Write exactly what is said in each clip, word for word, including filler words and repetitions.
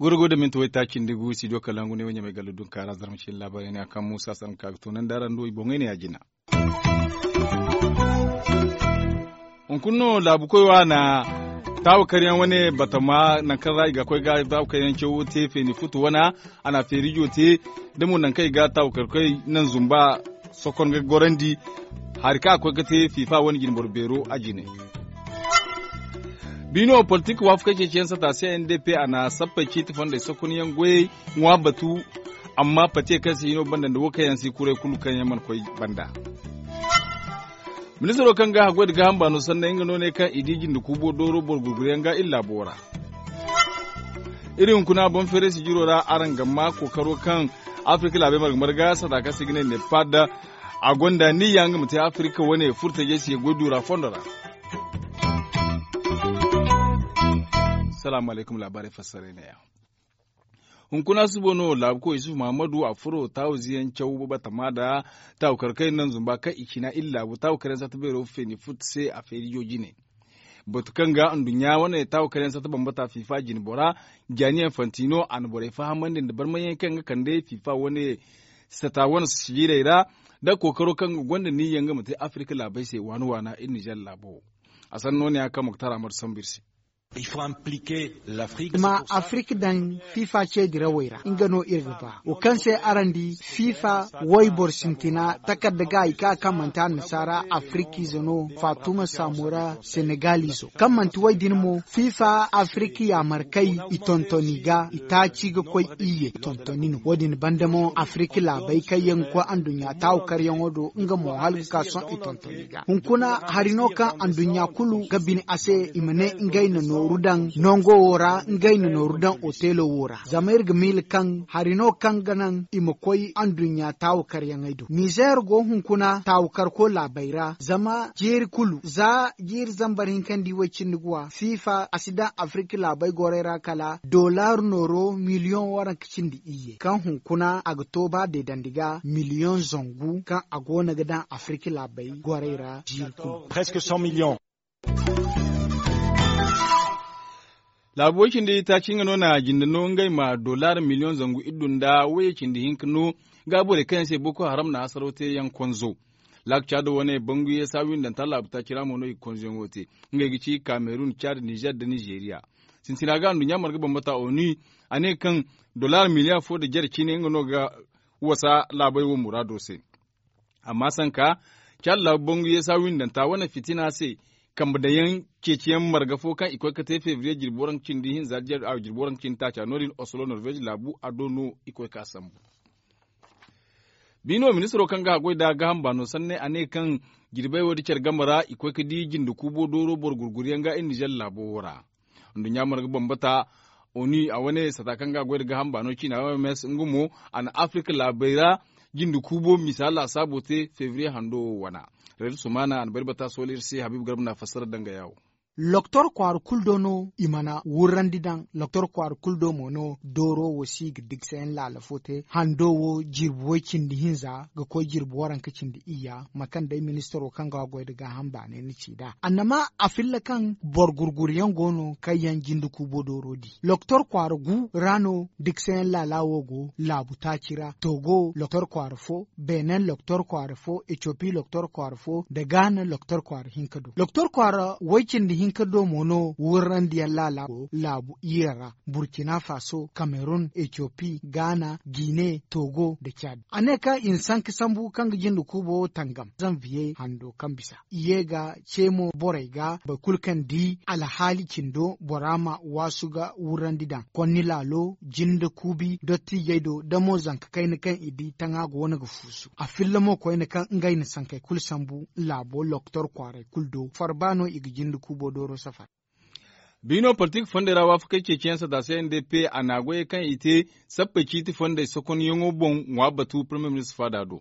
Goro go da minti waytaaci nda gu studio kalangu ne wo ɲamay galla dunkaara zarma ciine laabaarey ne a kaŋ muusa sanka ga toonandi araŋ do i boŋey ne ya jina. Hunkuna no laabu koy wo a na taawakaryaŋ wane batama nangu kaŋ ra i ga koy ga taawakaryaŋ cawo te feeni futu wana. A na feerijo te da mo nangu kaŋ i ga taawakarkoy naŋ zumba sokon ga gorandi. Hari kaŋ a koy ga te fiifa wane jinboro beero a jine. Biino politik waafakey ceeciyaŋ sata se n d p a na sappey ciiti fondey sokonyaŋ goyey ŋwa batu. Amma patiye kaŋ si hino banda nda wo kaŋ yaŋ si kuray kulu kaŋ yaŋ mana koy banda. Ministaro kaŋ ga haggoy nda gaaham baano sanney nga no ne kaŋ i di jinde kuubo dooro boro gurguryaŋ ga iri laabo ra. Iri hunkuna boŋ feeray sijiro ra araŋ ga maa kookaro kaŋ afirika laabey marga marga sata kaŋ se i ga ne nepad. A gonda niyya nga ma te afirika wane furtajey se goy duura fondo ra. Salaamu alaykum laabaarey fassaray neeya. Hunkuna suba no laabuko yusuf mahamadu a furo taawu ziyaŋ caw batama nda taawu kar kaŋ iri naŋ zumba kaŋ i cina iri laabu taawu kar yaŋ satta beero feeni futu se a feerijo jine. Batu kaŋ ga nduɲɲa wane taawu kar yaŋ satta bambata fiifa jine bora, jaani yaŋ fantino a na borey fahamandi nda barmayaŋ kaŋ ga kande fiifa wane sata wane sijiirey ra. Nda kookaro kaŋ ga gonda niyya nga ma te afirika laabey se waana waana iri nizer laabo. A sanno ne a kaŋ moktar amadu sambu iri se. Ma afirika daŋ fifa ce dirawey ra nga no iri ga ba wo kaŋ se araŋ di fifa wayboro sintina takarda ga i ka kaŋ manti annasaara afirika ize no fatuma samora senegal izo kaŋ manti way din mo fifa afirika yaamarkay i tontoni ga i taaci ga koy iyye tontoni no wo- din banda mo afirika laabey kaŋ yaŋ ga koy anduɲɲa taawu karyaŋo do nga mo hala ga ka sohõ i tontoni ga hunkuna hari no kaŋ anduɲɲa kulu ga bine a se i ma ne ngey na nooru daŋ nango wo ra ngey na nooru daŋ otelo wo ra zama iri ga miila kaŋ hari no kaŋ ga naŋ i ma koy anduɲɲa taawu karyaŋey do nizer go hunkuna taawu karko laabey ra zama jiiri kulu za jiiri zambar hinka nda i way cindi ga wa fifa a si daŋ afirika laabey gorey ra kala dollar nooro miliyoŋ waranka cindi iyye kaŋ hunkuna a ga to ba deedandi ga miliyoŋ zangu kaŋ a go no ga daŋ afirika laabey gorey ra jiiri kulu. Laabu way cindi taaci nga no na jinde no ngey ma dollar miliyoŋ zangu iddu nda wayye cindi hinka no ga borey kaŋ yaŋ se boko haram na hasaro te yaŋ konzo. Laakca do wane bangu yeesa windanta laabu taaci ra mo no i ga konzo yaŋo te. Ngey ga ci kamerun cad nizer nda nizeriya. Sintina ga anduɲɲa marga bambata onu a ne kaŋ dollar miliyaŋ fo nda jare cine nga no ga wasa laabey wo muraado se. Amma sanka cad laabu bangu yeesa windanta wane fitina se kambe daŋ yaŋ ceeciyaŋ marga fo kaŋ i koy ga te febriye jirbi waranka cindi hinza jirbi waranka cindi taaca no- din oslo norvege laabu a do no i koy ga sambu. Biino ministiro kaŋ ga haggoy nda gaaham baano sanney a ne kaŋ jirbey wo- din care game ra i koy ga di jinde kuubo dooro boro gurguryaŋ ga iri nizer laabo wo ra. Nduɲɲa marga bambata onu a wane sata kaŋ ga goy nda gaaham baano ciina oms nga mo a na afirika laabey ra jinde kuubo misa laasaabo te febriye hando wo wana. Reed sumaana a na bari bata sohõ iri se habiibu garba na fassara daŋ ga yaawo. Loktor kwaara kulu do no i mana wurrandi daŋ. Loktor kwaara kulu do mo no dooro wo si ga digsayaŋ laala fo te hando wo jirbi way cindi hinza ga koy jirbi waranka cindi iyya mate kaŋ day ministiro kaŋ ga goy nda gaaham baanay na ci nd'a annama a filla kaŋ boro gurguryaŋ go no kaŋ yaŋ jinde kuubo dooro di. Loktor kwaara gu ra no diksayaŋ laala wo go laabu taaci ra togo loktor kwaara fo, benin loktor kwaara fo, etiyopi loktor kwaara fo nda gaana loktor kwaara hinka do. Loktor kwaara way cindi hinka do mo no wurrandiyaŋ laala go laabu iyye ra burkina faso, kamerun, etiyopi, gaana, gine, togo nda cad. A ne kaŋ i na sanka sambu kaŋ ga jinde kuubo tangam zanviye hando kaŋ bisa i ye ga ce mo borey ga boro kulu kaŋ di alhaali cindo bora ma waasu ga wurrandi daŋ konni laalo jinde kuubi dottijey do da mo zanka kayna kaŋ i di taŋa go no ga fuusu a filla mo koyne kaŋ ngey na sankey kulu sambu laabo loktor kwaaray kulu do farba no i ga jinde kuubo dooro safar. Biino politik fondey ra waafakey ceeciyaŋ sata se n d p a na goyey kaŋ i te sappey ciiti fondey sokonyaŋo boŋ ŋwa batu premier ministre faada do.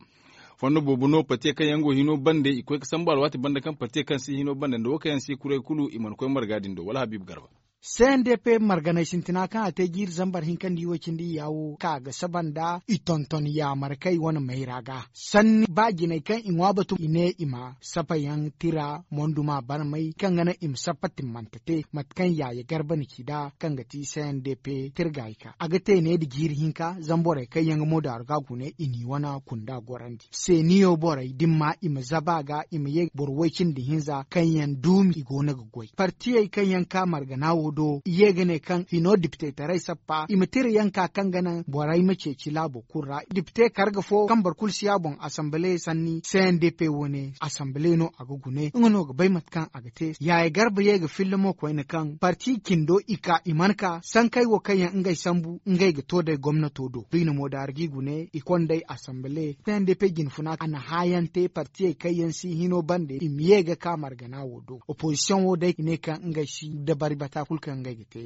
Fondo boobo no partiye kaŋ yaŋ go hino bande i koy ga sambu alwaati banda kaŋ partiye kaŋ si hino bande nda wo kaŋ yaŋ si kuray kulu i mana koy marga din do wala habiibu garba. C N D P marganay sintina kaŋ a te jiiri zambar hinka nda i way cindi iyya wo ka ga saba nda i tonton yaamar kaŋ i wane mayra ga sanni ba jinay kaŋ i ŋwa batu i ne i ma sapayaŋ tira monduma barmay kaŋ ga naŋ i ma sappa timmante te mate kaŋ yaaye garba na ci nd'a kaŋ ga ti C N D P tirgayka a ga te ne nda jiiri hinka zamborey kaŋ yaŋ ga moodaaru ga a gune i n'i wane kunda gorandi seeniyo borey da ni ma i ma zaba a ga i ma ye boro way cindi hinza kaŋ yaŋ duumi i go no ga goy partiyey kaŋ yaŋ ka margana wo do i ye ga ne kaŋ hino dipitetaray sappa i ma tira yaŋ ka kaŋ ga naŋ borey ma ceeci laabo kulu ra dipite karga fo kaŋ boro kulu si a boŋ asanbale sanni c n d p wo ne asanbale no a ga gune nga no ga bay mate kaŋ a ga te yaaye garba ye ga filla mo koyne kaŋ parti cindo i ka i mana ka sankey wo kaŋ yaŋ ngey sambu ngey ga to day gomnato do biine mo da argi gune i konday asanbale c n d p jinfuna a na haayaŋ te partiyey kaŋ yaŋ si hino bande i ma ye ga ka margana wo do opozisiyoŋ wo day i ne kaŋ ngey si dabari bata kulu kaŋ ngey ga te.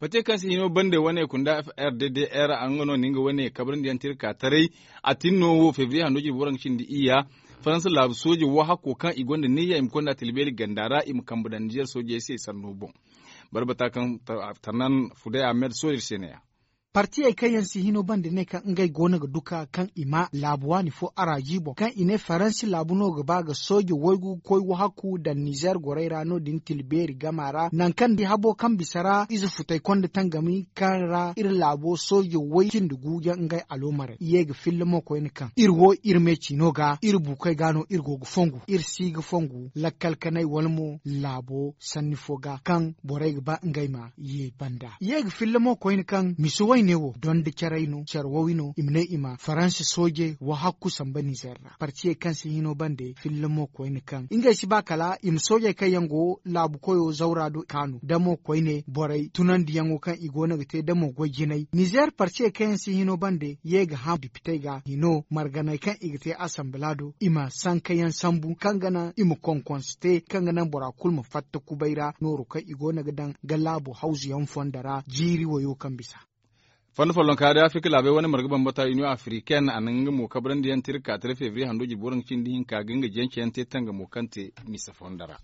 Bate kaŋ se hino bande wane kunda f r d d r a nga no na nga wane kabrandi yaŋ tirka taray a tin no wo febriye hando jirbi waranka cindi iyya faransa laabu sooje wo hakko kaŋ i gonda niyya i ma konda tilbeeri ganda ra i ma kambe daŋ nizer soojey se sanno boŋ. Barbata kaŋ tarnan fuday ahmed sooje se ne ya. Partiyey kaŋ yaŋ si hino bande ne kaŋ ngey go no ga duka kaŋ i ma laabu waani fo araaji boŋ kaŋ i ne faransi laabu no ga ba ga sooje waygu ga koy wahakku daŋ nizer gorey ra no- din tilbeeri gama ra nangu kaŋ di habo kaŋ bisa ra ize futay konda tangami kaŋ ra iri laabo sooje way cindi gu yaŋ ngey aloomarey i ye ga filla mo koyne kaŋ iri wo iri me ciino ga iri buukey ga no iri go ga fongu iri si ga fongu lakkal kanay wala mo laabo sanni fo ga kaŋ borey ga ba ngey ma ye banda i ye ga filla mo koyne kaŋ misi wayne wo donda caray no care wowi no i ma ne i ma faransa sooje wahakku samba nizer ra partiyey kaŋ si hino bande filla mo koyne kaŋ ngey si ba kala i ma soojey kaŋ yaŋ go laabu koyo zawra do kaanu damo koyne borey tunandiyaŋo kaŋ i go no ga te damo goy jinay nizer partiyey kaŋ yaŋ si hino bande ye ga hã dipitey ga hino marganey kaŋ i ga te asanbala do i ma sankayaŋ sambu kaŋ ga naŋ i ma konkonse te kaŋ ga naŋ bora kulu ma fatta kubay ra nooru kaŋ i go no ga daŋ ga laabo hawzuyaŋ fondo ra jiiri wayo kaŋ bisa. Fondo follonka day afirka laabey wane marga bambata union africaine a na nga mo kabrandi yaŋ tira ka tira febriye hando jirbi waranka cindi hinka ga nga jenceyaŋ te tangamo kaŋ te misa fondo ra.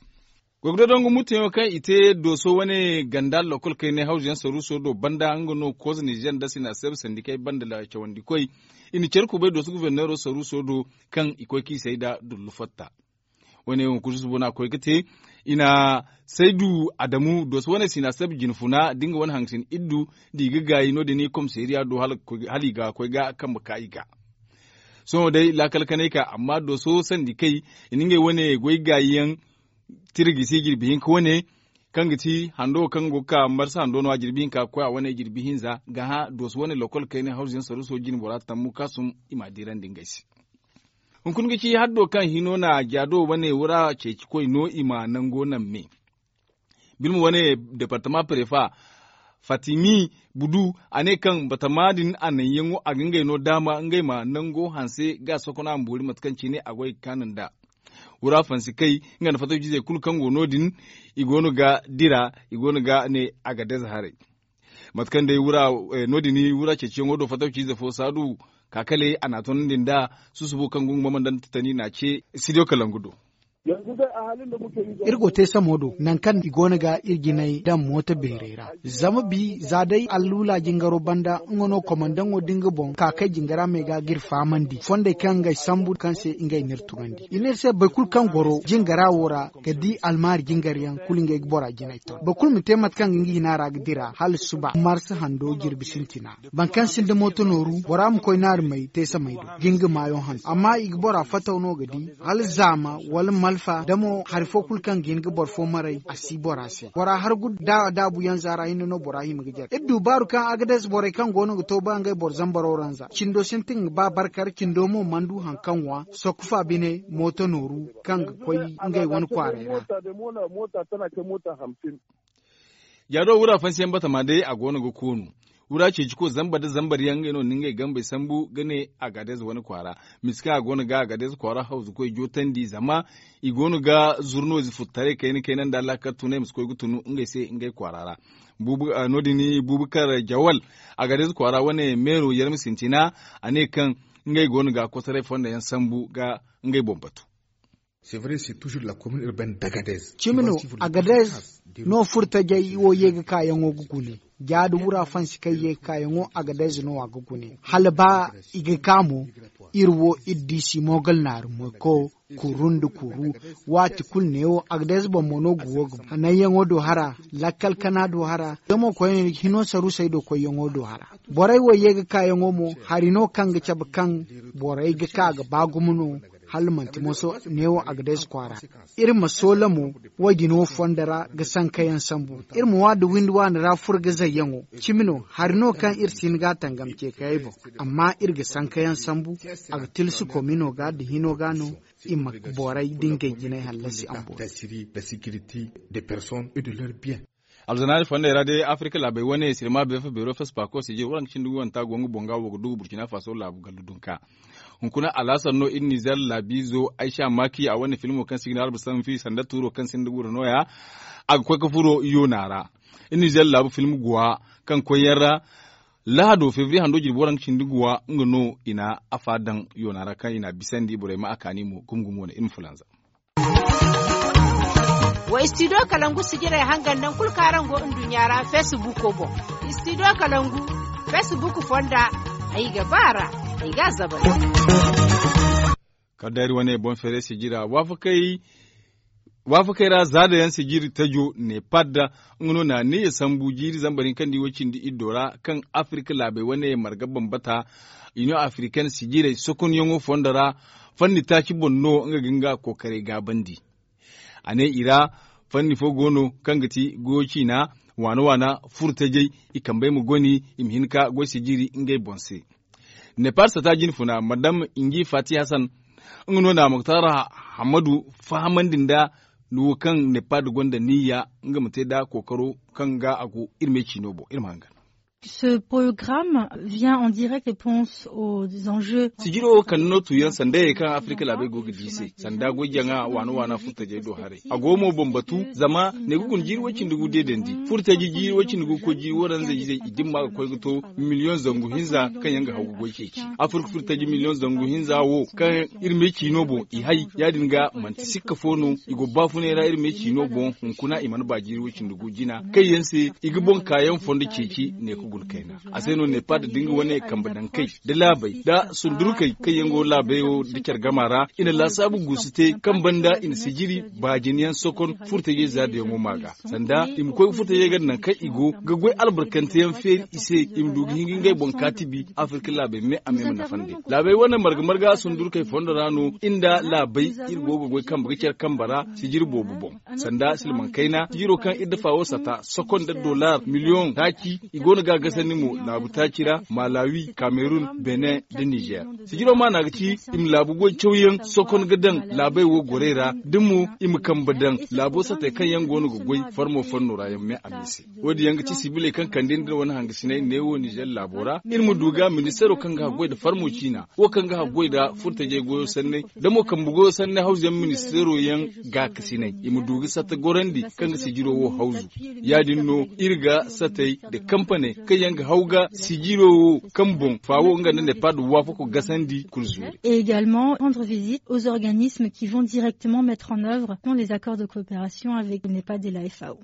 Goy ga dodongu mutteyaŋo kaŋ i te dooso wane ganda lokol kaynay hawzuyaŋ saruuso do banda nga no kooza nizer nda sina seb sandikey banda cawandikoy i na care kubay dooso guverneero saruuso do kaŋ i koy kaŋ i say nda dullu fatta. Wane wo kulu susubo no a koy ga te i na saydu adamu dooso wane sina seb jinfuna da nga wane hangasin iddu da i ga gaayi no- din komisariya do hala i ga koy ga kambe ka i ga. Sohõ day laakal kanay ka amma dooso sandi kay i na ngey wane goy gaayiyaŋ tirgisi jirbi hinka wane kaŋ ga ti hando wo kaŋ go ga ka marsa hando no- ya jirbi hinka ga koy a wane jirbi hinza ga hã dooso wane lokol kayna hawzuyaŋ saruuso jine bora tammu kaasum i m'a diirandi ngey se. Hunkuna ga ci haddo kaŋ hino na jaado wane wura ceeci koy no i ma nango naŋ me. Birma wane departama prefa fatimi budu a ne kaŋ batama din a naŋyaŋo a ga ngey no daama ngey ma nango hanse ga sokona ma boori mate kaŋ cine a goy ga kaanu nd'a. Wura fansi kay nga nda fatawcizey kulu kaŋ go no- din i go no ga dira i go no ga ne agadez haray. Mate kaŋ day wura no- din wura ceeciyaŋo do fatawcize fo saadu ka kale a n'a toonandi nd'a susubo kaŋ go nga mama nda tatani n'a ce studio kalangu do. Iri go te samo do nangu kaŋ i go no ga iri jinay daŋ mooto beerey ra. Zama bi za day alluula jingaro banda nga no komandaŋo da nga boŋ ka kay jingara me ga ga iri fahamandi fondey kaŋ ngey sambu kaŋ se ngey n'iri tugandi i n'iri se boro kulu kaŋ goro jingara wo ra ga di almaari jingaryaŋ kulu ngey ga bora jinay ton boro kulu ma te mate kaŋ ga nga hina ra ga dira hala suba marsa hando jirbi sintina. Boro kaŋ sinda mooto nooru bora ma koy naari may te samay do ga nga maayo hanse amma i ga bora fataw no ga di hala zaama wala malfa da mo hari fo kulu kaŋ ga hin ga boro fo maray a si bora se bora hargu da daabuyaŋ zaara hinne no bora hima ga jare iri du baaru kaŋ agadez borey kaŋ go no ga to ba ngey boro zambaro ranza cindo sintin ga ba barkar cindo mo mana du hari kaŋ ŋwa sokku fa bine mooto nooru kaŋ ga koy ngey wane kwaaray ra. Jaado wura fansiyaŋ batama day a go no ga koonu. Wura ceeciko zamba nda zambar yaŋ ngey no na ngey gambey sambu ga ne agadez wane kwaara. Misi kaŋ a go no ga agadez kwaara hawzukoy jootandi zama i go no ga zurno ize futtaray kayna kayna nda laakal tunay ma si koy ga tunu ngey se ngey kwaara ra. No- din bubakar jawal agadez kwaara wane meero yarma sintina a ne kaŋ ngey go no ga kosoray fondo yaŋ sambu ga ngey boŋ batu. Cimi no, agadez no furtajey wo ye ga kaayaŋo ga gune. Jaadi wura fansi kaŋ ye ga kaayaŋo agadez no a ga gune, hala ba i ga ka mo, iri wo iri di si moogal naari moyko, kuru nda kuru. Waati kulu neewo agadez boŋ mo no ga wo ga hananyaŋo do hara, lakkal kana do hara, zama koyne hino sarusey do koyyaŋo do hara. Borey wo ye ga kaayaŋo mo hari no kaŋ ga cabe kaŋ borey ga ka ga ba gumo no. Hala manti moso neewo agadez kwaara. Iri ma soola mo, wo-din wo fondo ra ga sankayaŋ sambu. Iri ma wa da windi waani ra furo ga zayyaŋo. Cimi no, hari no kaŋ iri si hin ga a tangam ceekayey boŋ. Amma iri ga sankayaŋ sambu. A ga tilsi komino ga da hino ga no. I ma borey da ngey jinay hallasi ambo. Alzanaari fondey ra day afirka laabey wane sirma beefa beero fespaako sijir waranka cindi gu wanta go nga boŋ ga wo ga du burkina faso laabu gallu dunka. Hunkuna alhasan no iri nizer laabiizo aysa maaki a wane filmo kaŋ si ga ne albasanfi sanda tuuro kaŋ sinda gura nooya. A ga koy ga furo yoona ra. Iri nizer laabu film guwa kaŋ koyyaŋ ra. Lahado febriye hando jirbi waranka cindi guwa nga no i na afa daŋ yoona ra kaŋ i na a bisandi borey ma a kaani mo gumo gumo wane iri ma fulanza. Wa istidiyo kalangu sijirey hangan naŋ kulu kaŋ araŋ go nduɲɲa ra feesibuko boŋ. Istidiyo kalangu feesibuku fonda. Ay ga ba a ra. Ay ga a zabari. Kala day iri wane boŋ feeray sijira waafakey ra zaada yaŋ sijiri tajo nepad. Nga no na neeya sambu jiiri zambar hinka nda i wo cindi iddo ra kaŋ afirka laabey wane marga bambata. Iniyoŋ afirikane sijirey sokonyaŋo fondo ra. Fanni taaci boŋ no nga ga nga kookaray gaabandi. A ne i ra fanni fo go no kaŋ ga ti goyo ciina waana waana furtajey i kambey ma goni i ma hin ka goy sijiri ngey boŋ se. Nepad sata jinfuna madam ingi fati hasan nga no na muktar hammadu fahamandi nda wo kaŋ nepad gonda niyya nga ma te nda kookaro kaŋ ga a go iri me ciino boŋ iri ma hangan. Ce programme vient en direct réponse aux enjeux. Sijiro wo kande no tuyaŋ sanda ye kaŋ afirka laabey go ga di se sanda goy jaŋa waana waana furtajey do haray a go mo boŋ batu zama ne ga guna jiiri way cindi gu deedandi furtaji jiiri way cindi gu ga koy jiiri waranza izey i dimma ga koy ga to miliyoŋ zangu hinza kaŋ yaŋ ga haw ga goy ceeci. Afirka furtaji miliyoŋ zangu hinza wo kaŋ iri me ciino boŋ i hay ya- din ga manti sikka fo no i go baafunay ra iri me ciino boŋ hunkuna i mana ba jiiri way cindi gu jina kaŋ yaŋ se i ga boŋ kaayaŋ fondo ceeci ne ga guna kayna. A se no nepad da nga wane kambe daŋ kay da laabey da sundurkey kaŋ yaŋ go laabey wo da care gama ra i na laasaabu guusu te kaŋ banda i na sijiri baajinayaŋ sokon furtajey zaadayaŋo ma ga sanda i ma koy ga furtajey ga naŋ kaŋ i go ga goy albarkanteyaŋ feeri i se i ma du ga hin ga ngey boŋ kaatibi afirka laabey me a me ma nafandi. Laabey wane marga marga sundurkey fondo ra no iri nda laabey iri go ga goy kambe ga care kambe ra sijiri boobo boŋ sanda silmaŋ kayna sijiro kaŋ iri dafa wo sata sokon nda dollar miliyoŋ taaci i go no ga a gasandi mo laabu taaci ra malawi kamerun benin nda nizer. Sijiro maana ga ci i ma laabu goy cawyaŋ sokon ga daŋ laabey wo gorey ra da mo i ma kambe daŋ laabo satey kaŋ yaŋ go no ga goy farmo fanno ra yaŋ me a me se. Wo- din yaŋ ga ci sibiley kaŋ kande nda iri wane hangasiney neewo nizer laabo ra iri ma du ga ministeero kaŋ ga haggoy nda farmo ciina wo kaŋ ga haggoy nda furtajey goyo sanney da mo kambe goyo sanney hawzuyaŋ ministeero yaŋ gaakasiney i ma du ga satta gorandi kaŋ ga sijiro wo hawzu. Ya- din no iri ga satey nda kampaney kaŋ yaŋ ga haw ga sijiro wo kaŋ boŋ faawo nga nda nepad waafako gasandi kulu zuuri. Et également rendre visite aux organismes qui vont directement mettre en œuvre les accords de coopération avec nepad et la fao.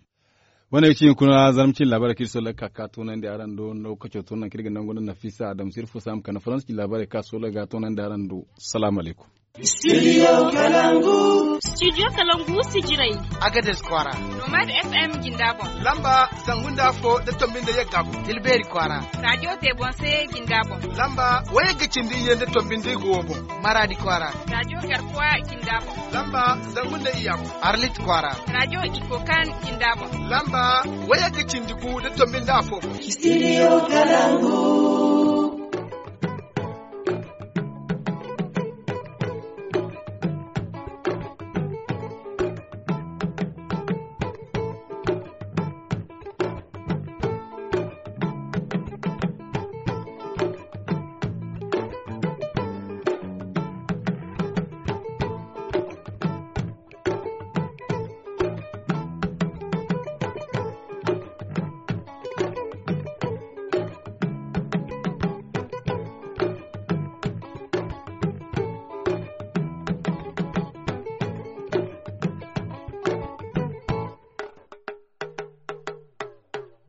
Wane ga ci hunkuna zarma cin labaarey kaŋ iri sola ga ka ga toonandi araŋ do lokaco to nangu kaŋ iri ga nangu nda nafisa adama sirfu saama kande faransa cin labaarey kaŋ a sola ga toonandi araŋ do. Salaamu alaykum. Studio kalangu. Studio kalangu sijirey. Agades kwaara. Nomad fm jinda boŋ. Lamba zangu nda afo nda tombi nda yagga boŋ tilbeeri kwaara. Radio tebonse jinda boŋ. Lamba wayagga cindi iyye nda tombi nda igo wo boŋ. Maradi kwaara. Radio garkuwa jinda boŋ. Lamba zangu nda iyya boŋ. Arlit kwaara. Radio ikokan jinda boŋ. Lamba wayagga cindi gu nda tombi nda afo boŋ. Studio kalangu.